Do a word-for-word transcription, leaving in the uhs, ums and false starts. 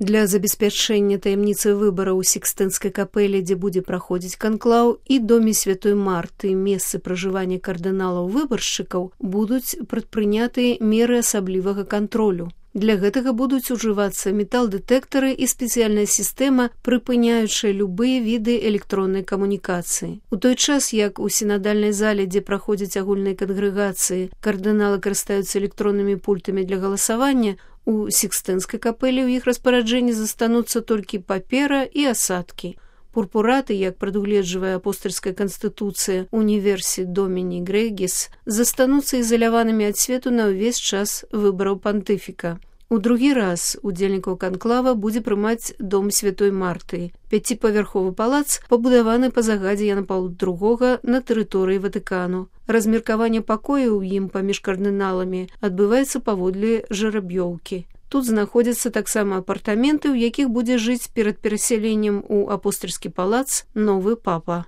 Для забеспячэння таямніцы выбараў у Сікстынскай капэлі, дзе будзе праходзіць канклаў, і доме святой Марты, месцы пражывання кардыналаў-выбаршчыкаў, будуць прадпрыняты меры асаблівага кантролю. Для гэтага будуць ужывацца металдэтэктары і спецыяльная сістэма, прыпыняючая любыя віды электроннай камунікацыі. У той час, як у сінадальнай зале, дзе праходзяць агульныя кангрэгацыі, кардыналы карыстаюцца электроннымі пультамі для галасавання, у Сікстынскай капэлі ў іх распараджэнні застануцца толькі папера і асадкі. Пурпураты, як прадугледжвае апостальская канстытуцыя Універсі Доміні Грэгіс, застануцца ізаляванымі ад свету на ўвесь час выбараў пантыфіка. У другі раз удзельнікаў канклава будзе прымаць дом святой Марты. Пяціпавярховы палац пабудаваны па загадзе Яна Паўла другога на тэрыторыі Ватыкану. Размеркаванне пакояў у ім паміж кардыналамі адбываецца паводле жараб'ёўкі. Тут знаходзяцца таксама апартаменты, у якіх будзе жыць перад перасяленнем у апостальскі палац новы папа.